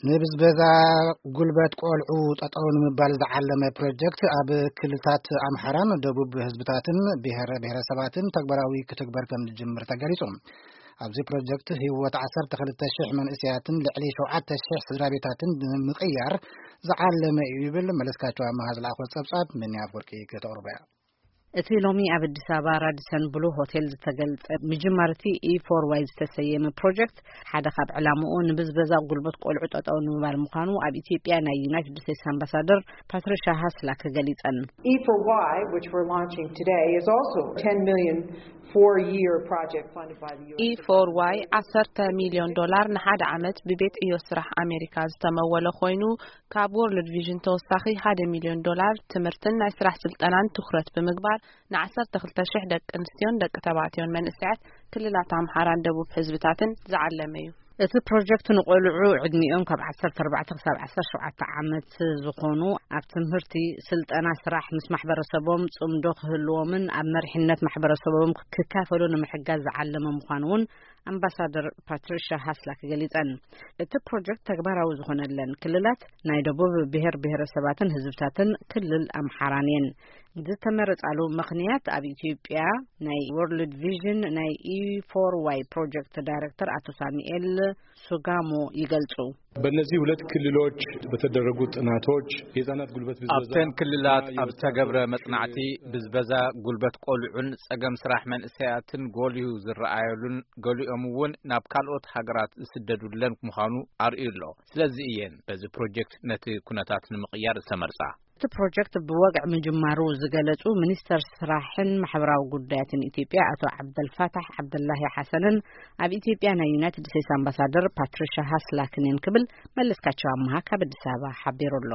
ንብዝበዛ ጉልበት ቆልዑ ጠጠው ንምባል ዝዓለመ ፕሮጀክት ኣብ ክልታት ኣምሓራን ደቡብ ህዝብታትን ብሄረ ብሄረሰባትን ተግባራዊ ክትግበር ከም ዝጅምር ተገሊጹ። ኣብዚ ፕሮጀክት ህይወት ዓሰርተ ክልተ ሽሕ መንእሰያትን ልዕሊ ሸውዓተ ሽሕ ስድራ ቤታትን ንምቕያር ዝዓለመ እዩ ይብል መለስካቸው ኣመሃ ዝለኣኾ ጸብጻብ። ምንያ ኣፍወርቂ ከተቕርቦ እያ። እቲ ሎሚ ኣብ ኣዲስ ኣበባ ራዲሰን ብሉ ሆቴል ዝተገልጸ ምጅማር እቲ ኢ ፎር ዋይ ዝተሰየመ ፕሮጀክት ሓደ ካብ ዕላምኡ ንብዝበዛ ጉልበት ቆልዑ ጠጠው ንምባል ምዃኑ ኣብ ኢትዮጵያ ናይ ዩናይትድ ስቴትስ ኣምባሳደር ፓትሪሻ ሃስላክ ገሊጸን። E for Y, which we're launching today, is also a ten million four-year project funded by the U S. E for Y ዓሰርተ ሚልዮን ዶላር ንሓደ ዓመት ብቤት ዕዮ ስራሕ ኣሜሪካ ዝተመወለ ኮይኑ፣ ካብ ወርልድ ቪዥን ተወሳኺ ሓደ ሚልዮን ዶላር ትምህርትን ናይ ስራሕ ስልጠናን ትኹረት ብምግባር፣ ንዓሰርተ ክልተ ሽሕ ደቂ ኣንስትዮን ደቂ ተባዕትዮን መንእሰያት ክልላት ኣምሓራን ደቡብ ህዝብታትን ዝዓለመ እዩ። እቲ ፕሮጀክት ንቆልዑ ዕድሚኦም ካብ ዓሰርተ ኣርባዕተ ክሳብ ዓሰርተ ሸውዓተ ዓመት ዝኾኑ ኣብ ትምህርቲ፣ ስልጠና፣ ስራሕ ምስ ማሕበረሰቦም ጽምዶ ክህልዎምን ኣብ መሪሕነት ማሕበረሰቦም ክካፈሉ ንምሕጋዝ ዝዓለመ ምዃኑ እውን ኣምባሳደር ፓትሪሻ ሃስላክ ገሊጸን። እቲ ፕሮጀክት ተግባራዊ ዝኾነለን ክልላት ናይ ደቡብ ብሔር ብሔረሰባትን ህዝብታትን ክልል ኣምሓራን እየን። ዝተመረጻሉ ምኽንያት ኣብ ኢትዮጵያ ናይ ወርልድ ቪዥን ናይ ኢ ፎር ዋይ ፕሮጀክት ዳይሬክተር ኣቶ ሳሙኤል ሱጋሞ ይገልጹ። በእነዚህ ሁለት ክልሎች በተደረጉ ጥናቶች የህፃናት ጉልበት ብዝበዛ ኣብተን ክልላት እና ኣብ የወጣት ዝተገብረ መፅናዕቲ ብዝበዛ ጉልበት ቆልዑን ፀገም ስራሕ መንእሰያትን ጎልዩ ዝረኣየሉን ገሊኦም እውን ናብ ካልኦት ሃገራት ዝስደዱለን ምዃኑ ኣርእዩ ኣሎ። ስለዚ እየን በዚ ፕሮጀክት ነቲ ኩነታት ንምቕያር ዝተመርፃ። እቲ ፕሮጀክት ብወግዒ ምጅማሩ ዝገለጹ ሚኒስተር ስራሕን ማሕበራዊ ጉዳያትን ኢትዮጵያ ኣቶ ዓብደልፋታሕ ዓብደላሂ ሓሰንን ኣብ ኢትዮጵያ ናይ ዩናይትድ ስቴትስ ኣምባሳደር ፓትሪሻ ሃስላክን እየን ክብል መለስካቸው ኣመሃ ካብ ኣዲስ ኣበባ ሓቢሩ ኣሎ።